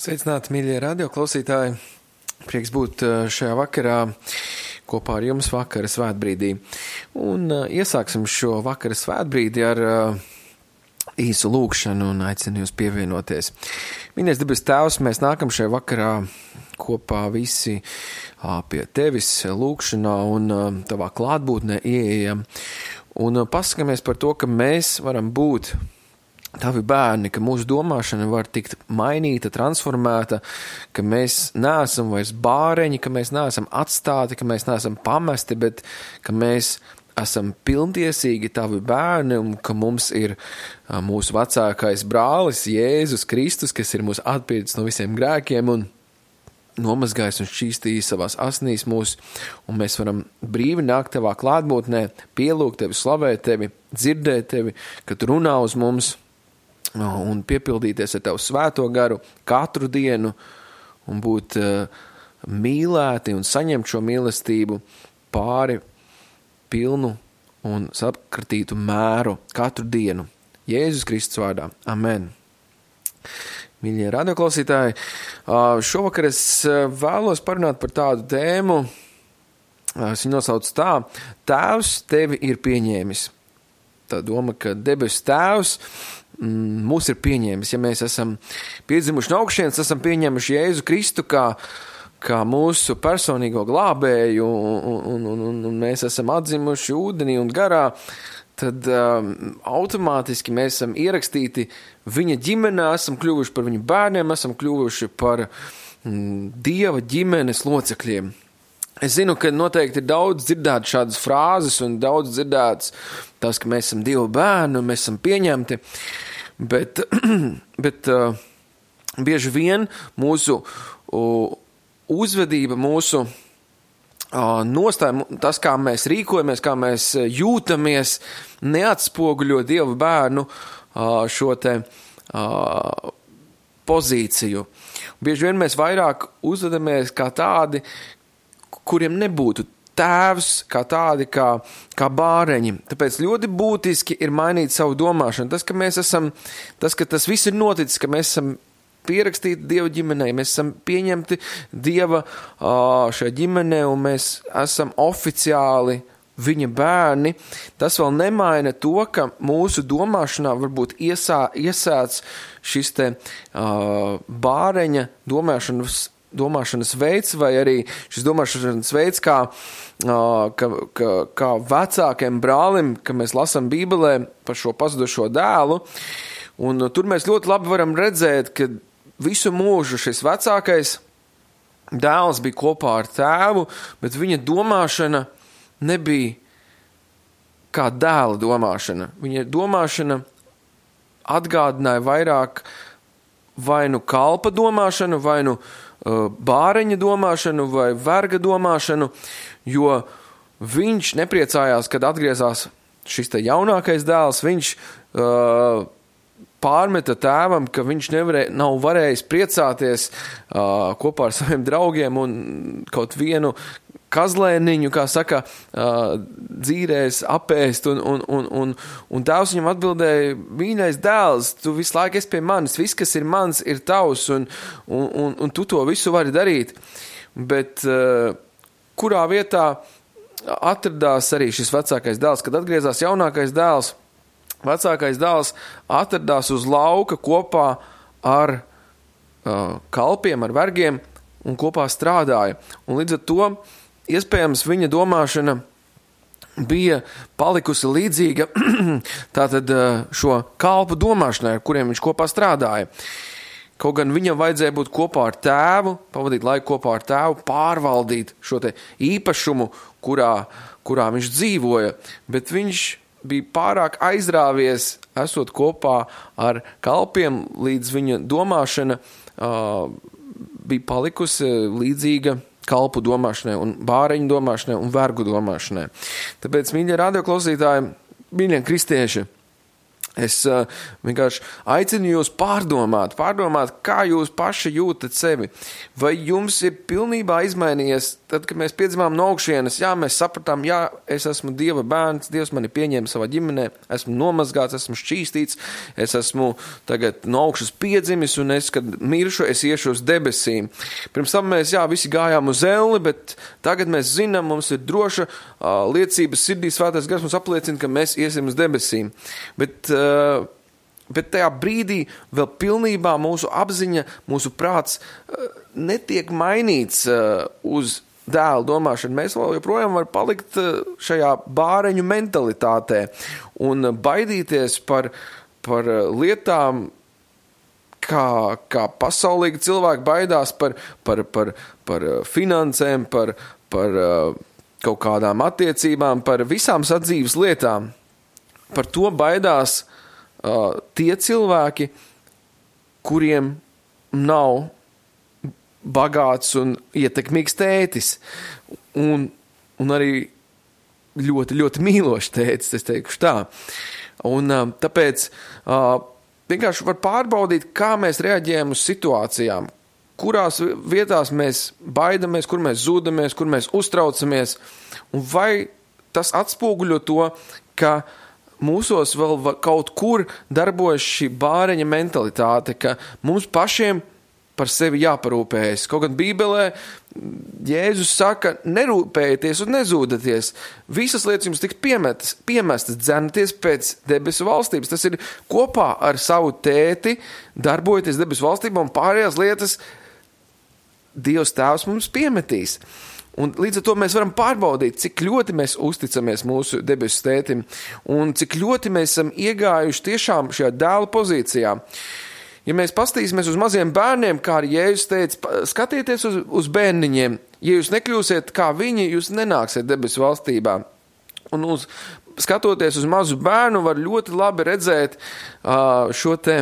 Sveicināti, mīļie radioklausītāji! Prieks būt šajā vakarā kopā ar jums vakara svētbrīdī. Un iesāksim šo vakara svētbrīdi ar īsu lūgšanu un aicinu jūs pievienoties. Mīļais debes Tēvs, mēs nākam šajā vakarā kopā visi pie tevis lūgšanā un tavā klātbūtnē ieejam. Un pasakamies par to, ka mēs varam būt tavi bērni, ka mūsu domāšana var tikt mainīta, transformēta, ka mēs neesam vairs bāreņi, ka mēs neesam atstāti, ka mēs neesam pamesti, bet ka mēs esam pilntiesīgi tavi bērni un ka mums ir mūsu vecākais brālis Jēzus Kristus, kas ir mūs atpircis no visiem grēkiem un nomazgājis un šķīstījis savās asnīs mūs, un mēs varam brīvi nākt tavā klātbūtnē, pielūgt tevi, slavēt tevi, dzirdēt tevi, kad tu runā uz mums, un piepildīties ar tavu svēto garu katru dienu un būt mīlēti un saņemt šo mīlestību pāri pilnu un sakratītu mēru katru dienu. Jēzus Kristus vārdā. Amen. Mīļie radioklausītāji, šovakar es vēlos parunāt par tādu tēmu, es viņu nosaucu tā: Tēvs tevi ir pieņēmis. Tā doma, ka debesu Tēvs mūs ir pieņēmis. Ja mēs esam piedzimuši no augšienes, esam pieņēmuši Jēzu Kristu kā mūsu personīgo glābēju un mēs esam atzimuši ūdenī un garā, tad automātiski mēs esam ierakstīti viņa ģimenē, esam kļuvuši par viņu bērniem, esam kļuvuši par Dieva ģimenes locekļiem. Es zinu, ka noteikti ir daudz dzirdēt šādas frāzes un daudz dzirdēts tas, ka mēs esam Dieva bērni un mēs esam pieņemti, bet bieži vien mūsu uzvedība, mūsu nostāja, tas, kā mēs rīkojamies, kā mēs jūtamies, neatspoguļo Dieva bērnu šo te pozīciju. Bieži vien mēs vairāk uzvedamies kā tādi, kuriem nebūtu tēvs, kā tādi, kā bāreņi. Tāpēc ļoti būtiski ir mainīt savu domāšanu. Tas, ka tas viss ir noticis, ka mēs esam pierakstīti Dieva ģimenei, mēs esam pieņemti Dieva šajā ģimenē un mēs esam oficiāli viņa bērni, tas vēl nemaina to, ka mūsu domāšanā varbūt iesāc šis te bāreņa domāšanas veids, vai arī šis domāšanas veids, kā vecākiem brālim, ka mēs lasām Bībelē par šo pazudušo dēlu, un tur mēs ļoti labi varam redzēt, ka visu mūžu šis vecākais dēls bija kopā ar tēvu, bet viņa domāšana nebija kā dēla domāšana. Viņa domāšana atgādināja vairāk vai nu kalpa domāšanu, vai nu bāreņa domāšanu vai verga domāšanu, jo viņš nepriecājās, kad atgriezās šis te jaunākais dēls, viņš pārmeta tēvam, ka viņš nav varējis priecāties kopā ar saviem draugiem un kaut vienu kazlēniņu, kā saka, dzīrēs apēst, un tēvs viņam atbildēja: mīļais dēls, tu visu laiku esi pie manis, viss, kas ir mans, ir tavs, un tu to visu vari darīt. Bet kurā vietā atradās arī šis vecākais dēls? Kad atgriezās jaunākais dēls, vecākais dēls atradās uz lauka kopā ar kalpiem, ar vergiem, un kopā strādāja. Un līdz ar to iespējams viņa domāšana bija palikusi līdzīga tātad šo kalpu domāšanai, ar kuriem viņš kopā strādāja. Kaut gan viņam vajadzēja būt kopā ar tēvu, pavadīt laiku kopā ar tēvu, pārvaldīt šo te īpašumu, kurā viņš dzīvoja, bet viņš bija pārāk aizrāvies, esot kopā ar kalpiem, līdz viņa domāšana bija palikusi līdzīga kalpu domāšanai un bāreņu domāšanai un vergu domāšanai. Tāpēc, mīļie radioklausītāji, mīļie kristieši, Es vienkārši aicinu jūs pārdomāt, kā jūs paši jūtat sevi. Vai jums ir pilnībā izmainījies, tad, kad mēs piedzimām no augšienes, mēs sapratām, es esmu Dieva bērns, Dievs mani pieņēma savā ģimenē, esmu nomazgāts, esmu šķīstīts, es esmu tagad no augšas piedzimis, un es, kad miršu, es iešu uz debesīm. Pirms tam mēs, visi gājām uz elli, bet tagad mēs zinām, mums ir droša liecības sirdī, Svētais Gars mums apliecina, ka mēs iesim uz debesīm. Bet tajā brīdī vēl pilnībā mūsu apziņa, mūsu prāts netiek mainīts uz dēlu domāšanu. Mēs vēl joprojām var palikt šajā bāreņu mentalitātē un baidīties par lietām, kā pasaulīgi cilvēki baidās par finansēm, par kaut kādām attiecībām, par visām sadzīves lietām. Par to baidās tie cilvēki, kuriem nav bagāts un ietekmīgs tētis. Un arī ļoti, ļoti mīlošs tētis, es teikšu tā. Un tāpēc vienkārši var pārbaudīt, kā mēs reaģējam uz situācijām, kurās vietās mēs baidamies, kur mēs zūdamies, kur mēs uztraucamies, un vai tas atspoguļo to, ka mūsos vēl kaut kur darbojas šī bāreņa mentalitāte, ka mums pašiem par sevi jāparūpējas. Kaut gan Bībelē Jēzus saka, nerūpējieties un nezūdaties. Visas lietas jums tiks piemestas, dzenaties pēc debesu valstības. Tas ir kopā ar savu tēti, darbojoties debesu valstībā, un pārējās lietas Dievs Tēvs mums piemetīs. Un līdz ar to mēs varam pārbaudīt, cik ļoti mēs uzticamies mūsu debesu tētim un cik ļoti mēs esam iegājuši tiešām šajā dēla pozīcijā. Ja mēs paskatīsimies uz maziem bērniem, kā arī Jēzus teica, skatieties uz bērniņiem. Ja jūs nekļūsiet kā viņi, jūs nenāksiet debesu valstībā. Un skatoties uz mazu bērnu, var ļoti labi redzēt šo te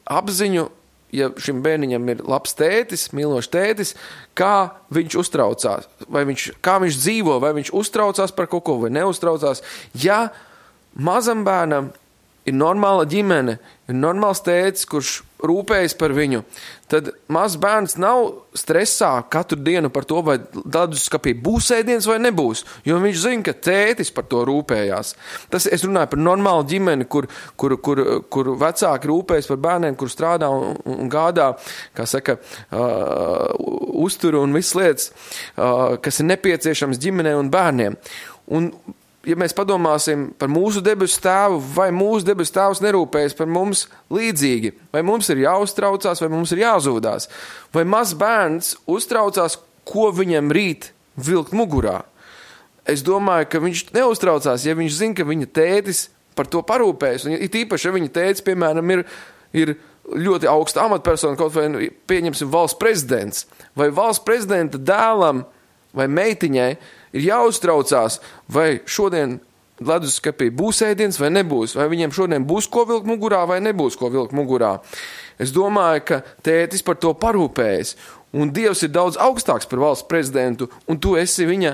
apziņu, ja šim bērniņam ir labs tētis, mīlošs tētis, kā viņš uztraucās, kā viņš dzīvo, vai viņš uztraucās par kaut ko, vai neuztraucās. Ja mazam bērnam ir normāla ģimene, ir normāls tētis, kurš rūpējas par viņu, tad mazs bērns nav stresā katru dienu par to, vai leduskapī būs ēdiens vai nebūs, jo viņš zina, ka tētis par to rūpējās. Es runāju par normālu ģimeni, kur vecāki rūpējas par bērniem, kur strādā un gādā, kā saka, uzturu un visas lietas, kas ir nepieciešams ģimenei un bērniem. Un ja mēs padomāsim par mūsu debesu tēvu, vai mūsu debesu tēvs nerūpējas par mums līdzīgi, vai mums ir jāuztraucās, vai mums ir jāzūdās, vai mazs bērns uztraucās, ko viņam rīt vilkt mugurā. Es domāju, ka viņš neuztraucās, ja viņš zina, ka viņa tētis par to parūpējas, un it īpaši, ja viņa tētis, piemēram, ir ļoti augsta amatpersona, kaut vai pieņemsim valsts prezidents, vai valsts prezidenta dēlam vai meitiņai ir jāuztraucās, vai šodien leduskapī būs ēdiens vai nebūs, vai viņiem šodien būs ko vilkt mugurā vai nebūs ko vilkt mugurā. Es domāju, ka tētis par to parūpējas, un Dievs ir daudz augstāks par valsts prezidentu, un tu esi viņa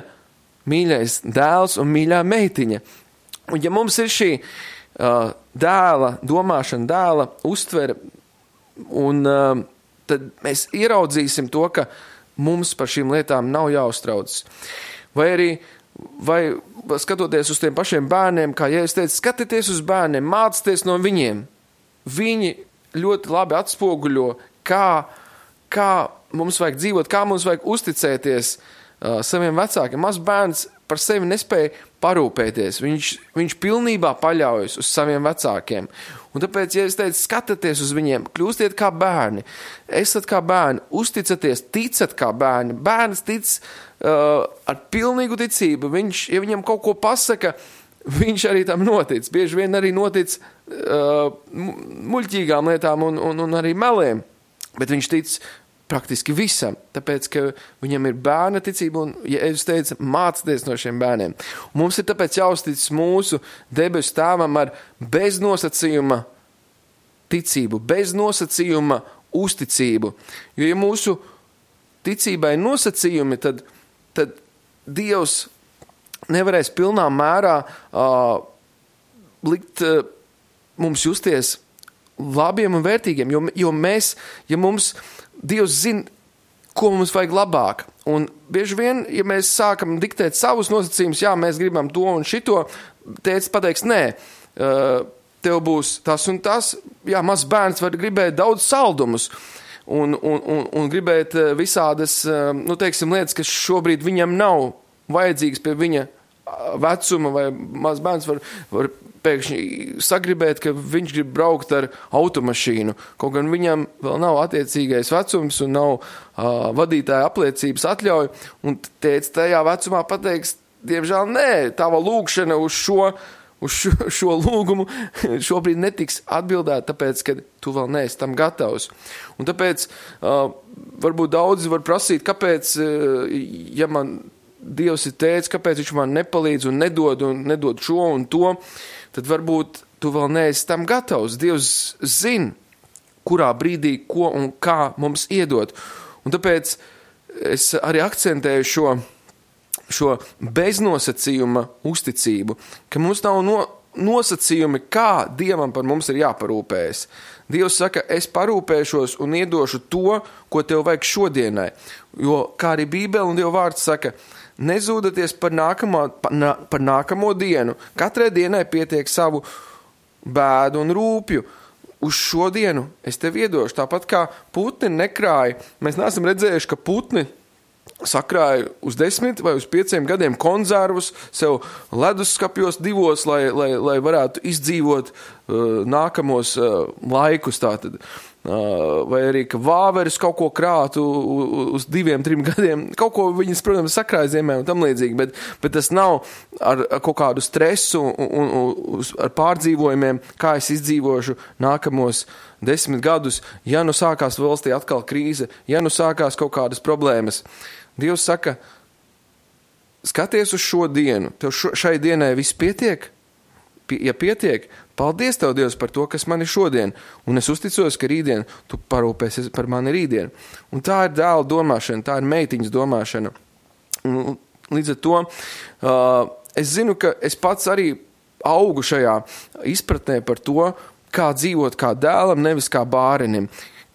mīļais dēls un mīļā meitiņa. Un ja mums ir šī dēla domāšana, dēla uztvere, un tad mēs ieraudzīsim to, ka mums par šīm lietām nav jāuztraucas. Vai skatoties uz tiem pašiem bērniem, kā Jēzus teica, skatieties uz bērniem, mācieties no viņiem. Viņi ļoti labi atspoguļo, kā mums vajag dzīvot, kā mums vajag uzticēties saviem vecākiem. Mazs bērns par sevi nespēja parūpēties. Viņš pilnībā paļaujas uz saviem vecākiem. Un tāpēc, ja es teicu, skatieties uz viņiem, kļūstiet kā bērni, esat kā bērni, uzticaties, ticat kā bērni. Bērns tic ar pilnīgu ticību. Ja viņam kaut ko pasaka, viņš arī tam notic. Bieži vien arī notic muļķīgām lietām un arī meliem. Bet viņš tic praktiski visam, tāpēc, ka viņam ir bērna ticība, un, ja es teicu, mācieties no šiem bērniem. Un mums ir tāpēc jāuztic mūsu debesu tēvam ar beznosacījuma ticību, beznosacījuma uzticību. Jo, ja mūsu ticībai ir nosacījumi, tad Dievs nevarēs pilnā mērā likt mums justies labiem un vērtīgiem, jo mēs, ja mums Dievs zina, ko mums vajag labāk. Un bieži vien, ja mēs sākam diktēt savus nosacījumus, jā, mēs gribam to un šito, tētis pateiks, nē, tev būs tas un tas, jā, mazs bērns var gribēt daudz saldumus un gribēt visādas, nu, teiksim, lietas, kas šobrīd viņam nav vajadzīgas pie viņa vecuma, vai mazs bērns var pēkšņi sagribēt, ka viņš grib braukt ar automašīnu, kaut gan viņam vēl nav attiecīgais vecums un nav vadītāja apliecības atļauja, un tētis tajā vecumā pateiks, diemžēl nē, tava lūgšana uz šo lūgumu šobrīd netiks atbildēt, tāpēc, ka tu vēl neesi tam gatavs. Un tāpēc varbūt daudzi var prasīt, kāpēc, ja man Dievs ir tētis, kāpēc viņš man nepalīdz un nedod šo un to, tad varbūt tu vēl neesi tam gatavs. Dievs zina, kurā brīdī, ko un kā mums iedot. Un tāpēc es arī akcentēju šo beznosacījuma uzticību, ka mums nav nosacījumi, kā Dievam par mums ir jāparūpējas. Dievs saka, es parūpēšos un iedošu to, ko tev vajag šodienai. Jo, kā arī Bībele un Dieva vārds saka, nezūdaties par nākamo dienu. Katrai dienai pietiek savu bēdu un rūpju. Uz šo dienu es tev iedošu. Tāpat kā putni nekrāja. Mēs neesam redzējuši, ka putni sakrāja uz 10 vai uz 5 gadiem konzervus sev leduskapjos 2, lai varētu izdzīvot nākamos laikus tātad. Vai arī, ka vāveris kaut ko krātu uz 2-3 gadiem. Kaut ko viņas, protams, sakrāja ziemē un tam līdzīgi, bet tas nav ar kaut kādu stresu un ar pārdzīvojumiem, kā es izdzīvošu nākamos 10 gadus, ja nu sākās valstī atkal krīze, ja nu sākās kaut kādas problēmas. Dievs saka, skaties uz šo dienu, tev šai dienai viss pietiek? Ja pietiek, paldies tev, Dievs, par to, kas man ir šodien, un es uzticos, ka rītdien tu parūpēsies par mani rītdien. Un tā ir dēla domāšana, tā ir meitiņas domāšana. Un līdz ar to es zinu, ka es pats arī augu šajā izpratnē par to, kā dzīvot kā dēlam, nevis kā bārenim.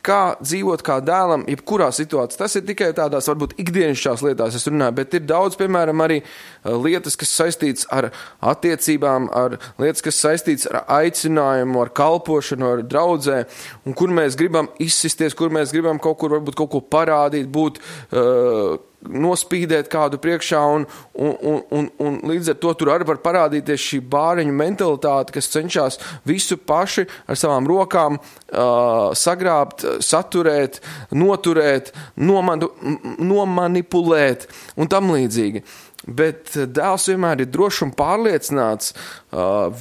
Kā dzīvot kā dēlam, jebkurā situācijā. Tas ir tikai tādās, varbūt, ikdienišķās lietās es runāju, bet ir daudz, piemēram, arī lietas, kas saistīts ar attiecībām, ar lietas, kas saistīts ar aicinājumu, ar kalpošanu, ar draudzē, un kur mēs gribam izsisties, kur mēs gribam kaut kur, varbūt, kaut ko parādīt, būt nospīdēt kādu priekšā, un līdz ar to tur arī var parādīties šī bāreņu mentalitāte, kas cenšas visu paši ar savām rokām sagrābt, saturēt, noturēt, nomanipulēt un tam līdzīgi. Bet dēls vienmēr ir drošs un pārliecināts,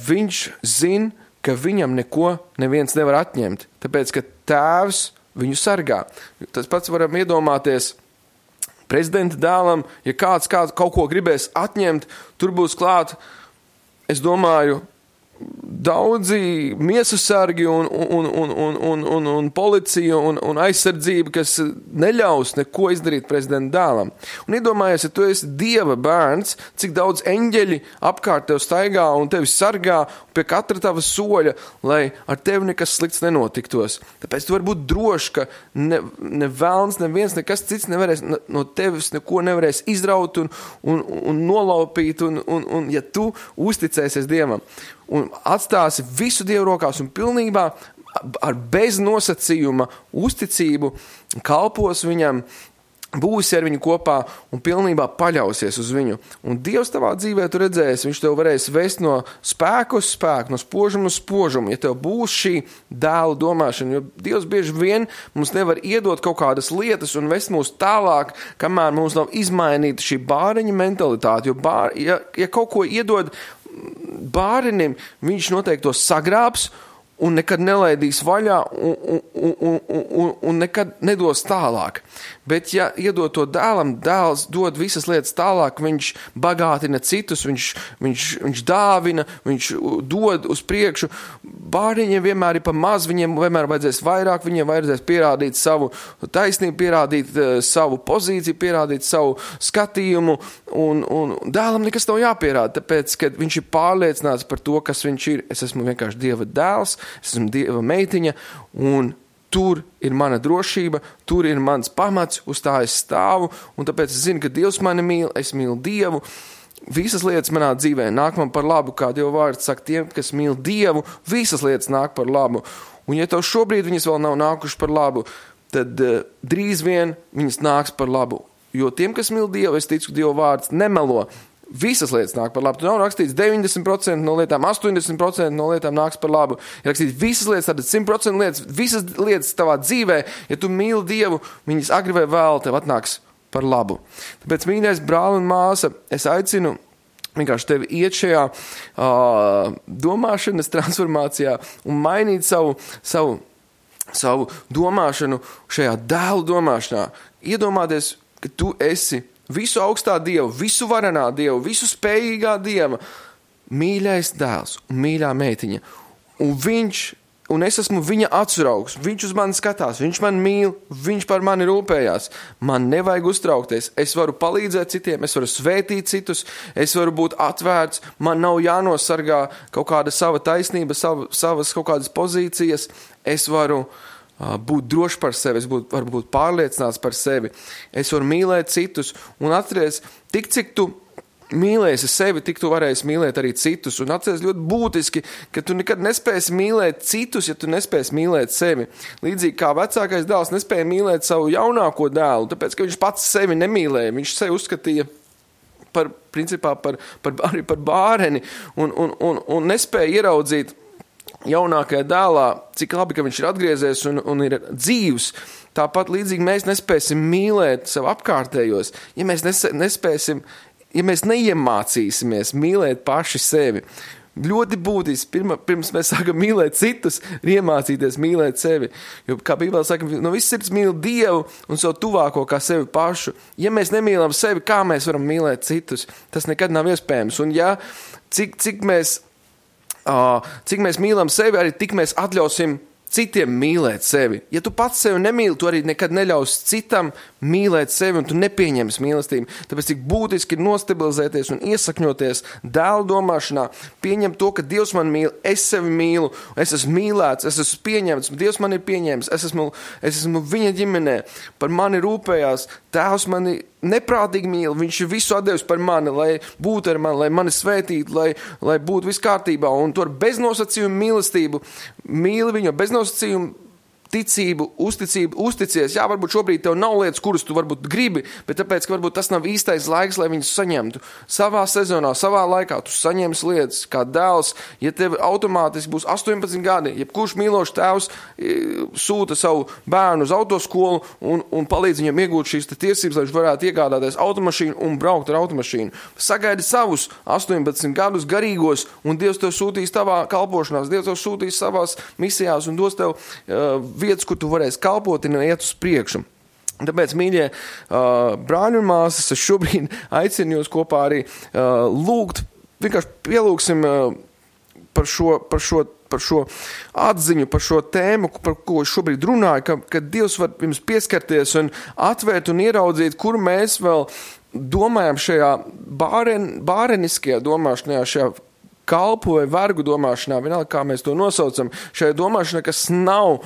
viņš zina, ka viņam neko neviens nevar atņemt, tāpēc, ka tēvs viņu sargā. Tas pats varam iedomāties prezidenta dēlam, ja kāds kaut ko gribēs atņemt, tur būs klāt, es domāju, daudzi miesasargi un policija un aizsardzība, kas neļaus neko izdarīt prezidenta dēlam. Un iedomājies, ja tu esi Dieva bērns, cik daudz eņģeļi apkārt tev staigā un tevi sargā pie katra tava soļa, lai ar tevi nekas slikts nenotiktos. Tāpēc tu vari būt drošs, ka ne velns, neviens, nekas cits nevarēs no tevis neko nevarēs izraut un nolaupīt, un ja tu uzticēsies Dievam un atstāsi visu Dievu rokās un pilnībā ar bez nosacījuma uzticību kalpos viņam, būsi ar viņu kopā un pilnībā paļausies uz viņu. Un Dievs tavā dzīvē tu redzēsi, viņš tev varēs vest no spēku uz spēku, no spožuma uz spožumu, ja tev būs šī dēla domāšana, jo Dievs bieži vien mums nevar iedot kaut kādas lietas un vest mūs tālāk, kamēr mums nav izmainīta šī bāreņa mentalitāte, jo ja kaut ko iedod bārenim, viņš noteikti to sagrābs un nekad nelaidīs vaļā un nekad nedos tālāk. Bet, ja iedod to dēlam, dēls dod visas lietas tālāk, viņš bagātina citus, viņš dāvina, viņš dod uz priekšu. Bērniņiem vienmēr ir pa maz, viņiem vienmēr vajadzēs vairāk, viņiem vajadzēs pierādīt savu taisnību, pierādīt savu pozīciju, pierādīt savu skatījumu, un dēlam nekas nav jāpierāda, tāpēc, ka viņš ir pārliecināts par to, kas viņš ir. Es esmu vienkārši Dieva dēls, es esmu Dieva meitiņa, un tur ir mana drošība, tur ir mans pamats, uz tā es stāvu, un tāpēc es zinu, ka Dievs mani mīl, es mīlu Dievu. Visas lietas manā dzīvē nāk man par labu, kā Dieva vārds saka, tiem, kas mīl Dievu, visas lietas nāk par labu. Un ja tev šobrīd viņas vēl nav nākuši par labu, tad drīz vien viņas nāks par labu. Jo tiem, kas mīl Dievu, es ticu, Dieva vārds nemelo. Visas lietas nāk par labu. Tu nav rakstīts 90% no lietām, 80% no lietām nāks par labu. Ir rakstīts visas lietas, tātad 100% lietas, visas lietas tavā dzīvē, ja tu mīli Dievu, viņas agri vai vēl tev atnāks par labu. Tāpēc, mīļais brāl un māsa, es aicinu vienkārši tevi iet šajā domāšanas transformācijā un mainīt savu domāšanu šajā dēlu domāšanā. Iedomāties, ka tu esi visu augstā Dievu, visu varenā Dievu, visu spējīgā Dieva, mīļais dēls un mīļā meitiņa. Un es esmu viņa atsraugs, viņš uz mani skatās, viņš man mīl, viņš par mani rūpējās. Man nevajag uztraukties, es varu palīdzēt citiem, es varu svētīt citus, es varu būt atvērts, man nav jānosargā kaut kāda sava taisnība, savas kaut kādas pozīcijas, es varu būt drošs par sevi, es varu būt pārliecināts par sevi, es varu mīlēt citus, un atceries, cik tu mīlēsi sevi, tik tu varēsi mīlēt arī citus, un atceries ļoti būtiski, ka tu nekad nespēsi mīlēt citus, ja tu nespēsi mīlēt sevi. Līdzīgi kā vecākais dēls nespēja mīlēt savu jaunāko dēlu, tāpēc, ka viņš pats sevi nemīlēja, viņš sevi uzskatīja principā par bāreni, un nespēja ieraudzīt jaunākajā dēlā, cik labi, ka viņš ir atgriezies un ir dzīvs. Tāpat līdzīgi mēs nespēsim mīlēt sev apkārtējos, ja mēs nespēsim, ja mēs neiemācīsimies mīlēt paši sevi. Ļoti būtiski, pirms mēs sākam mīlēt citus, ir iemācīties mīlēt sevi. Jo, kā Bībelē saka, no viss sirds mīl Dievu un savu tuvāko kā sevi pašu. Ja mēs nemīlam sevi, kā mēs varam mīlēt citus? Tas nekad nav iespējams. Un ja, cik mēs mīlam sevi, arī tik mēs atļausim citiem mīlēt sevi. Ja tu pats sevi nemīli, tu arī nekad neļaus citam mīlēt sevi un tu nepieņems mīlestību. Tāpēc tik būtiski ir nostabilizēties un iesakņoties dēlu domāšanā, pieņemt to, ka Dievs man mīl, es sevi mīlu, es esmu mīlēts, es esmu pieņemts, Dievs man ir pieņēmis, es esmu viņa ģimenē, par mani rūpējās, Tēvs mani neprātīgi mīl, viņš ir visu atdevis par mani, lai būtu ar mani, lai mani svētītu, lai būtu viss kārtībā, un to ar beznosacījumu mīlestību, mīli viņu bez nosacījumu, ticību, uzticies. Jā, varbūt šobrīd tev nav lietas, kuras tu varbūt gribi, bet tāpēc, ka varbūt tas nav īstais laiks, lai viņus saņemtu. Savā sezonā, savā laikā tu saņems lietas, kā dēls, ja tev automātiski būs 18 gadi, jebkurš mīlošs tēvs sūta savu bērnu uz autoskolu un palīdz viņam iegūt šīs tiesības, lai viņš varētu iegādāties automašīnu un braukt ar automašīnu. Sagaidi savus 18 gadus garīgos, un Dievs tev sūtīs tavā kalpošanās, Dievs tev sūtīs savās misijās un dos tev vietas, kur tu varēsi kalpot un iet uz priekšu. Tāpēc, mīļie brāļi un māsas, es šobrīd aicinu jūs kopā arī lūgt, vienkārši pielūgsim par šo atziņu, par šo tēmu, par ko es šobrīd runāju, ka Dievs var jums pieskarties un atvērt un ieraudzīt, kur mēs vēl domājam šajā bāreniskajā domāšanā, šajā kalpu vai vergu domāšanā, vienalga, kā mēs to nosaucam, šajā domāšanā, kas nav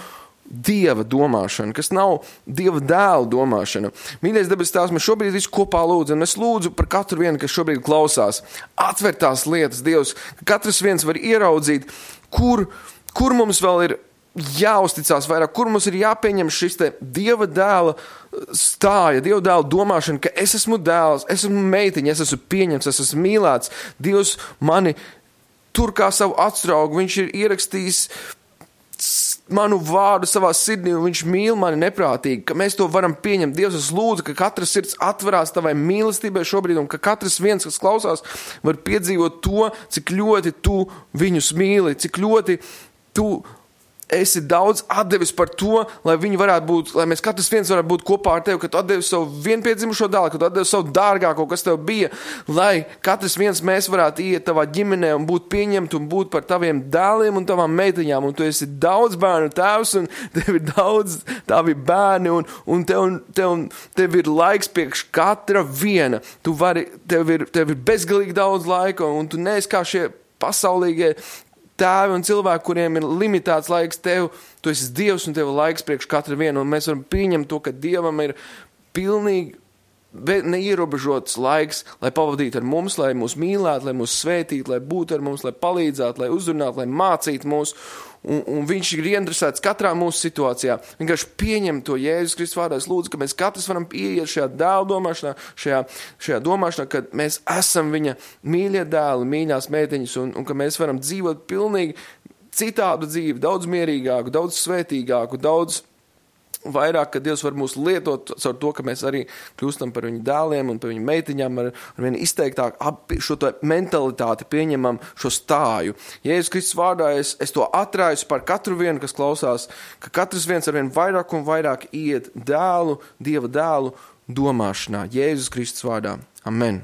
Dieva domāšana, kas nav Dieva dēla domāšana. Mīļais debes Tēvs, mēs šobrīd visu kopā lūdzam, es lūdzu par katru vienu, kas šobrīd klausās, atver tās lietas, Dievs, ka katrs viens var ieraudzīt, kur mums vēl ir jāuzticās vairāk, kur mums ir jāpieņem šis te Dieva dēla stāja, Dieva dēla domāšana, ka es esmu dēls, es esmu meitiņa, es esmu pieņemts, es esmu mīlēts, Dievs mani tur kā savu atsraugu, viņš ir ierakstījis manu vārdu savā sirdī, un viņš mīl mani neprātīgi, ka mēs to varam pieņemt. Dievs, es lūdzu, ka katrs sirds atverās tavai mīlestībai šobrīd, un ka katrs viens, kas klausās, var piedzīvot to, cik ļoti tu viņus mīli, cik ļoti tu esi daudz atdevis par to, lai viņi varētu būt, lai mēs katrs viens varētu būt kopā ar tevi, ka tu atdevi savu vienpiedzimušo dēlu, ka tu atdevi savu dārgāko, kas tev bija, lai katrs viens mēs varētu iet tavā ģimenē un būt pieņemti un būt par taviem dēliem un tavām meitiņām, un tu esi daudz bērnu tēvs, un tev ir daudz tavi bērni, un tev ir laiks priekš katra viena. Tev ir bezgalīgi daudz laika, un tu neesi kā šie pasaulīgie tēvi un cilvēki, kuriem ir limitēts laiks, tu esi Dievs un tev ir laiks priekš katra viena, un mēs varam pieņemt to, ka Dievam ir pilnīgi neierobežots laiks, lai pavadītu ar mums, lai mūs mīlētu, lai mūs svētītu, lai būtu ar mums, lai palīdzētu, lai uzrunātu, lai mācītu mūs, un viņš ir ieinteresēts katrā mūsu situācijā. Vienkārši pieņem to Jēzus Kristus vārdā. Es lūdzu, ka mēs katrs varam ieiet šajā dēla domāšanā, šajā domāšanā, ka mēs esam viņa mīļie dēli, mīļās meitiņas, un ka mēs varam dzīvot pilnīgi citādu dzīvi, daudz mierīgāku, daudz svētīgāku, daudz vairāk, ka Dievs var mūs lietot caur to, ka mēs arī kļūstam par viņu dēliem un par viņu meitiņām ar vien izteiktāk šo mentalitāti pieņemam, šo stāju. Jēzus Kristus vārdā es to atrāju par katru vienu, kas klausās, ka katrs viens ar vien vairāk un vairāk iet Dieva dēlu domāšanā. Jēzus Kristus vārdā. Amen.